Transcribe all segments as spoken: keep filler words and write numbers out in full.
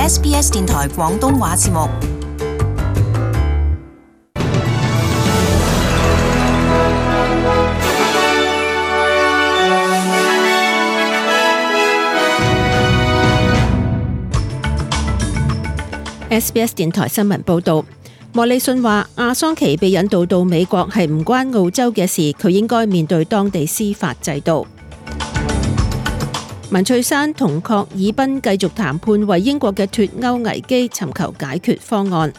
S B S 電台廣東話節目。S B S 電台新聞報導，莫里遜話阿桑奇被引渡到美國係唔關澳洲嘅事，佢應該面對當地司法制度。文翠珊同郝爾彬繼續談判，為英國嘅脫歐危機尋求解決方案。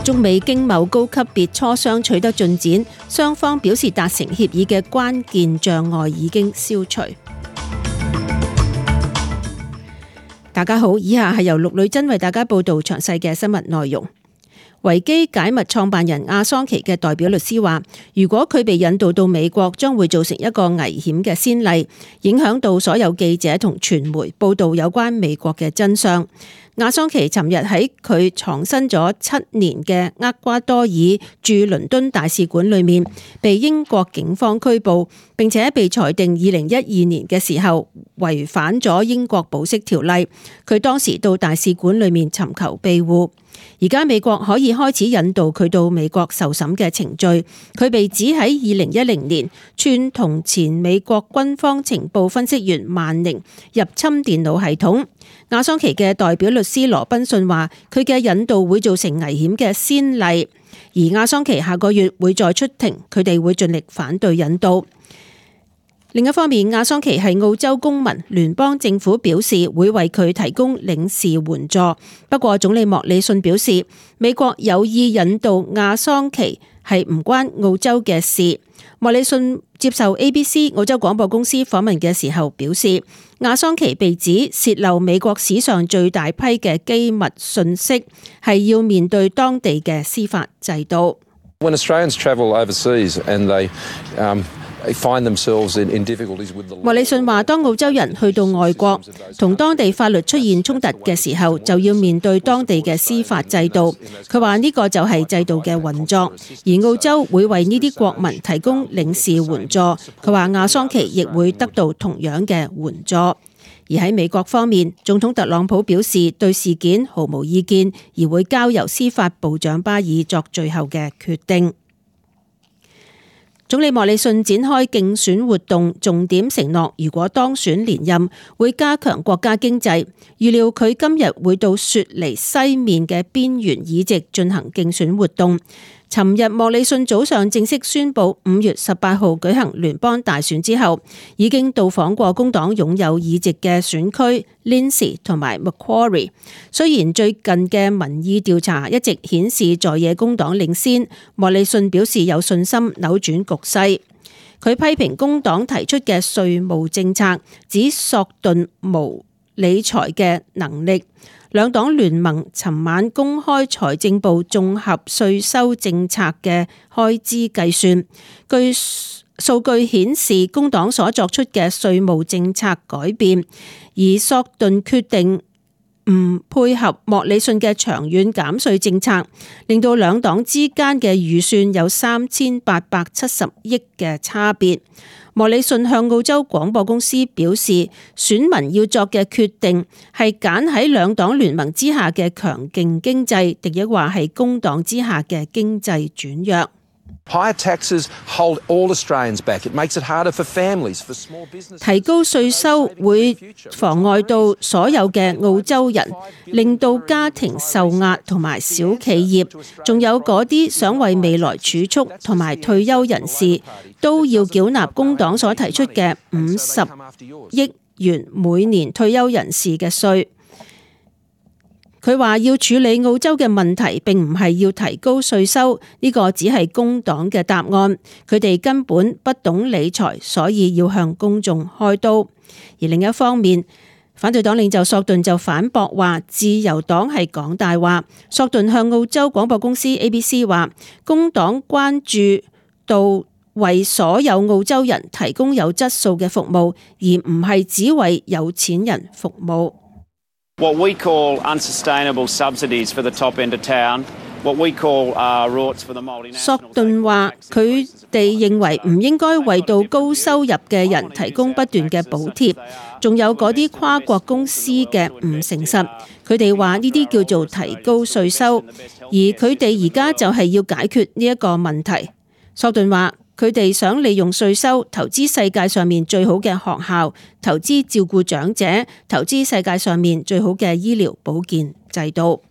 中美經貿高級別磋商取得進展，雙方表示達成協議嘅關鍵障礙已經消除。大家好，以下係由陸女真為大家報道詳細嘅新聞內容。維基解密創辦人阿桑奇嘅代表律師話，如果佢被引渡到美國，將會造成一個危險嘅先例，影響到所有記者同傳媒報道有關美國嘅真相。阿桑奇尋日喺佢藏身咗七年嘅厄瓜多爾駐倫敦大使館裏面，被英國警方拘捕，並且被裁定二零一二年嘅時候違反咗英國保釋條例。佢當時到大使館裏面尋求庇護。而家美國可以開始引渡佢到美國受審嘅程序。佢被指喺二零一零年串同前美國軍方情報分析員萬寧入侵電腦系統。阿桑奇嘅代表律師羅賓遜話，佢嘅引渡會造成危險嘅先例，而阿桑奇下個月會再出庭，佢哋會盡力反對引渡。另一方面，阿桑奇係澳洲公民，聯邦政府表示會為佢提供領事援助。不過總理莫里遜表示，美國有意引渡阿桑奇係唔關澳洲嘅事。莫里遜接受 A B C 澳洲廣播公司訪問嘅時候表示，阿桑奇被指洩漏美國史上最大批嘅機密信息，係要面對當地嘅司法制度。When Australians travel overseas and they, um find themselves in, in difficulties with the law. 莫里遜話，當澳洲人去到外國同當地法律出現衝突嘅時候，就要面對當地嘅司法制度。佢話呢個就係制度嘅運作，而澳洲會為呢啲國民提供領事援助。佢話阿桑奇亦會得到同樣嘅援助。而喺美國方面，總統特朗普表示對事件毫無意見，而會交由司法部長巴爾作最後嘅決定。總理莫里遜展開競選活動，重點承諾如果當選連任，會加強國家經濟。預料佢今日會到雪梨西面嘅邊緣議席進行競選活動。尋日莫里遜早上正式宣布五月十八號舉行聯邦大選之後，已經到訪過工黨擁有議席嘅選區 Lindsay 同埋 Macquarie。雖然最近嘅民意調查一直顯示在野工黨領先，莫里遜表示有信心扭轉局勢。佢批評工黨提出嘅稅務政策，指索頓無理財嘅能力。兩黨聯盟尋晚公開財政部綜合稅收政策嘅開支計算，據數據顯示工黨所作出嘅稅務政策改變，而索頓決定唔配合莫里遜嘅長遠減稅政策，令到兩黨之間嘅預算有三千八百七十億嘅差別。莫里遜向澳洲廣播公司表示，選民要作嘅決定係揀喺兩黨聯盟之下嘅強勁經濟，定抑或係工黨之下嘅經濟轉弱。Higher taxes hold all Australians back. It makes it harder for families, for small businesses. 提高稅收會妨礙到所有嘅澳洲人，令到家庭受壓同埋小企業，仲有嗰啲想為未來儲蓄同埋退休人士，都要繳納工黨所提出嘅五十億元每年退休人士嘅稅。佢話要處理澳洲嘅問題，並唔係要提高稅收，呢個只係工黨嘅答案。佢哋根本不懂理財，所以要向公眾開刀。而另一方面，反對黨領袖索頓就反駁話，自由黨係講大話。索頓向澳洲廣播公司 A B C 話，工黨關注到為所有澳洲人提供有質素嘅服務，而唔係只為有錢人服務。What we call unsustainable subsidies for the top end of town, what we call rorts for the multinationals。索頓話佢哋認為唔應該為到高收入嘅人提供不斷嘅補貼，仲有嗰啲跨國公司嘅唔誠實，佢哋話呢啲叫做提高稅收，而佢哋而家就係要解決呢一個問題。索頓話佢哋想利用稅收投資世界上面最好嘅學校，投資照顧長者，投資世界上面最好嘅醫療保健制度。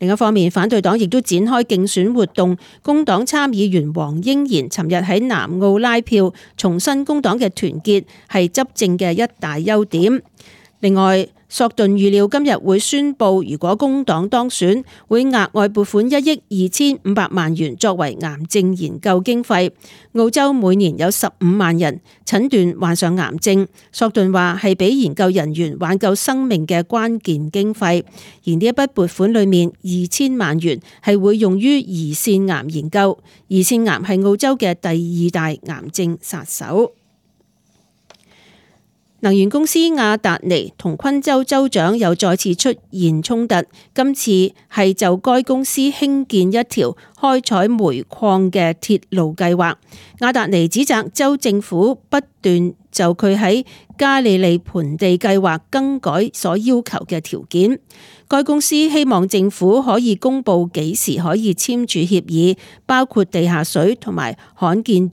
另一方面，反對黨亦都展開競選活動。工黨參議員黃英賢尋日喺南澳拉票，重申工黨嘅團結係執政嘅一大優點。另外，索頓預料今日會宣布，如果工黨當選，會額外撥款一億二千五百萬元作為癌症研究經費。澳洲每年有十五萬人診斷患上癌症，索頓話係俾研究人員挽救生命嘅關鍵經費。而呢一筆撥款裏面，二千萬元係會用於胰腺癌研究。胰腺癌係澳洲嘅第二大癌症殺手。能源公司亞達尼同昆州州長又再次出現衝突，今次係就該公司興建一條開採煤礦嘅鐵路計劃。亞達尼指責州政府不斷就佢喺加利利盆地計劃更改所要求嘅條件。該公司希望政府可以公布幾時可以簽署協議，包括地下水同埋罕見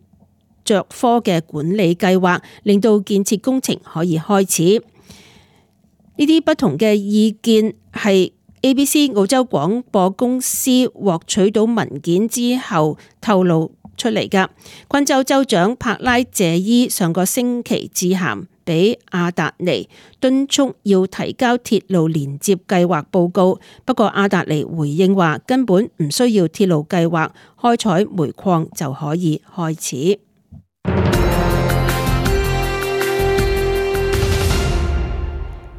着科嘅管理計劃，令到建設工程可以開始。呢啲不同嘅意見係 A B C 澳洲廣播公司獲取到文件之後透露出嚟㗎。昆州州長柏拉謝伊上個星期致函俾亞達尼，敦促要提交鐵路連接計劃報告。不過亞達尼回應話，根本唔需要鐵路計劃，開採煤礦就可以開始。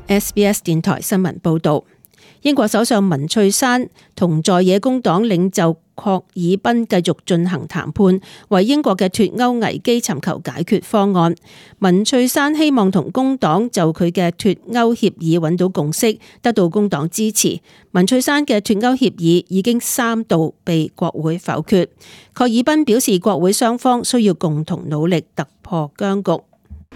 S B S 電台新聞報道，英國首相文翠珊同在野工黨領袖郝爾彬繼續進行談判，為英國嘅脫歐危機尋求解決方案。文翠珊希望同工黨就佢嘅脫歐協議揾到共識，得到工黨支持。文翠珊嘅脫歐協議已經三度被國會否決。郝爾彬表示，國會雙方需要共同努力突破僵局。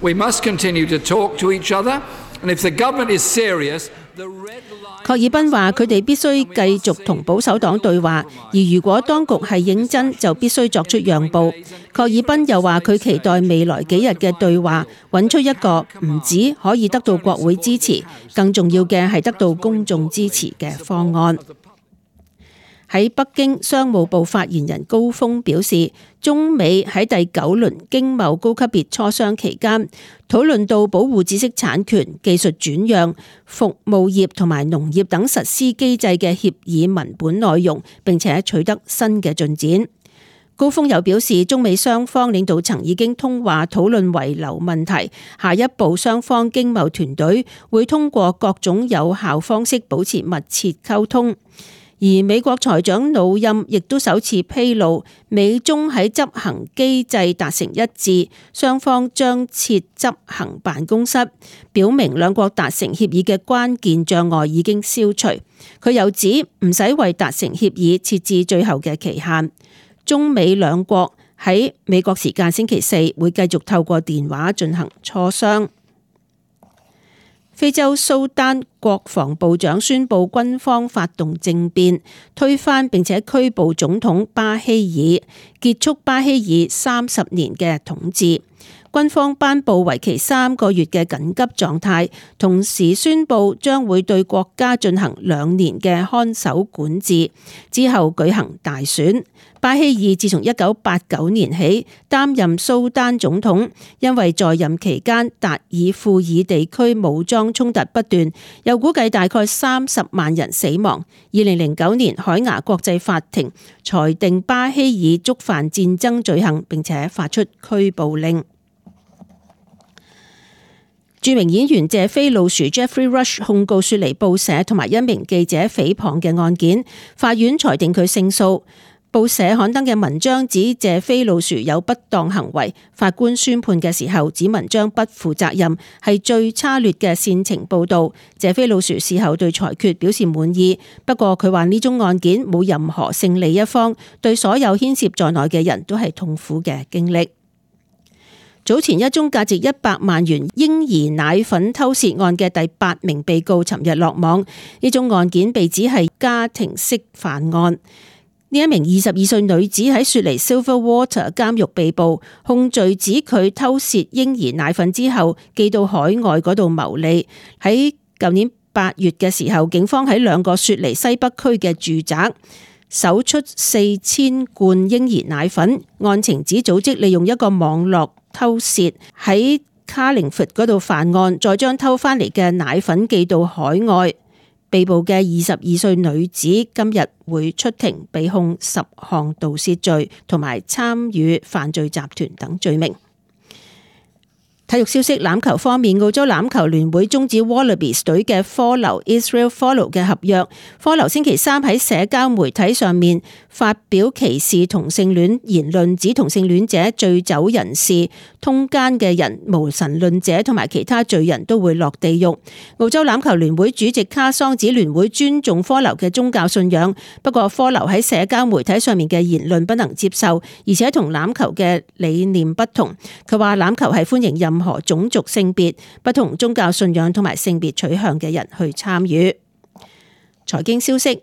We must continue to talk to each other, and if the government is serious, the red line... 郝爾彬話：佢哋必須繼續同保守黨對話，而如果當局係認真，就必須作出讓步。郝爾彬又話：佢期待未來幾日嘅對話，揾出一個唔止可以得到國會支持，更重要嘅係得到公眾支持嘅方案。喺北京，商務部發言人高峰表示，中美喺第九輪經貿高級別磋商期間，討論到保護知識產權、技術轉讓、服務業同埋農業等實施機制嘅協議文本內容，並且取得新嘅進展。高峰又表示，中美雙方領導層已經通話討論遺留問題，下一步雙方經貿團隊會通過各種有效方式保持密切溝通。而美國財長努欽亦都首次披露，美中喺執行機制達成一致，雙方將設執行辦公室，表明兩國達成協議嘅關鍵障礙已經消除。佢又指唔使為達成協議設置最後嘅期限。中美兩國喺美國時間星期四會繼續透過電話進行磋商。非洲蘇丹國防部長宣布軍方發動政變，推翻並且拘捕總統巴希爾，結束巴希爾三十年嘅統治。軍方頒布為期三個月嘅緊急狀態，同時宣布將會對國家進行兩年嘅看守管治，之後舉行大選。巴希爾自從一九八九年起擔任蘇丹總統，因為在任期間達爾富爾地區武裝衝突不斷，又估計大概三十萬人死亡。二零零九年海牙國際法庭裁定巴希爾觸犯戰爭罪行，並且發出拘捕令。著名演員謝飛老鼠 Jeffrey Rush 控告雪梨報社同埋一名記者誹謗嘅案件，法院裁定佢勝訴。報社刊登嘅文章指謝飛老鼠有不當行為，法官宣判嘅時候指文章不負責任，係最差劣嘅煽情報導。謝飛老鼠事後對裁決表示滿意，不過佢話呢宗案件冇任何勝利一方，對所有牽涉在內嘅人都係痛苦嘅經歷。早前一宗價值一百萬元嬰兒奶粉偷竊案嘅第八名被告尋日落網，呢宗案件被指係家庭式犯案。呢一名二十二歲女子喺雪梨 Silverwater 監獄被捕，控罪指佢偷竊嬰兒奶粉之後寄到海外嗰度牟利。喺舊年八月嘅時候，警方喺兩個雪梨西北區嘅住宅搜出四千罐嬰兒奶粉。案情指組織利用一個網絡偷竊，喺 Carlingford 嗰度犯案，再將偷翻嚟嘅奶粉寄到海外。被捕嘅二十二歲女子今日會出庭，被控十項盜竊罪同埋參與犯罪集團等罪名。體育消息，欖球方面，澳洲欖球聯會終止 Wallabies 隊嘅科流 Israel Folau 嘅合約。科流星期三喺社交媒體上面發表歧視同性戀言論，指同性戀者、醉酒人士、通姦嘅人、無神論者同埋其他罪人都會落地獄。澳洲欖球聯會主席卡桑指聯會尊重科流嘅宗教信仰，不過科流喺社交媒體上面嘅言論不能接受，而且同欖球嘅理念不同。佢話欖球係歡迎任何種族、性別、不同宗教信仰同埋性別取向嘅人去參與。財經消息，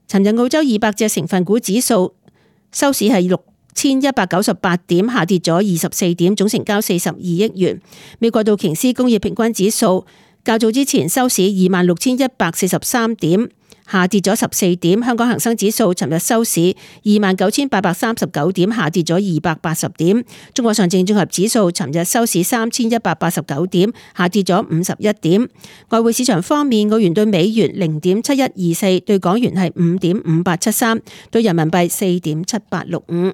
尋日澳洲二百隻成分股指數收市係六千一百九十八點，下跌咗二十四點，總成交四十二億元。美國道瓊斯工業平均指數較早之前收市二萬六千一百四十三點，下跌咗十四點。香港恒生指數尋日收市二萬九千八百三十九點，下跌咗二百八十點。中國上證綜合指數尋日收市三千一百八十九點，下跌咗五十一點。外匯市場方面，澳元對美元零點七一二四，對港元係五點五八七三，對人民幣四點七八六五。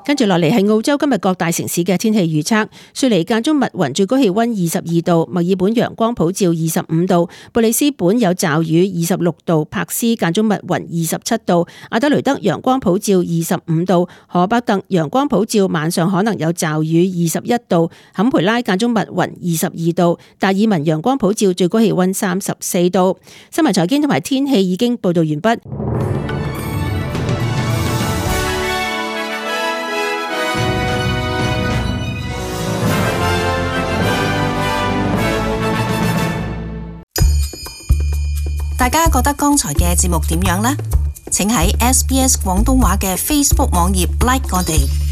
跟住落嚟係澳洲今日各大城市嘅天氣預測。雪梨間中密雲，最高氣溫二十二度；墨爾本陽光普照二十五度；布里斯本有驟雨二十六度；柏斯間中密雲二十七度；阿德雷德陽光普照二十五度；荷伯特陽光普照，晚上可能有驟雨二十一度；坎培拉間中密雲二十二度；達爾文陽光普照，最高氣溫三十四度。新聞財經同埋天氣已經報道完畢。大家覺得剛才嘅節目點樣呢？請喺 S B S 廣東話嘅 Facebook 網頁 like 我哋。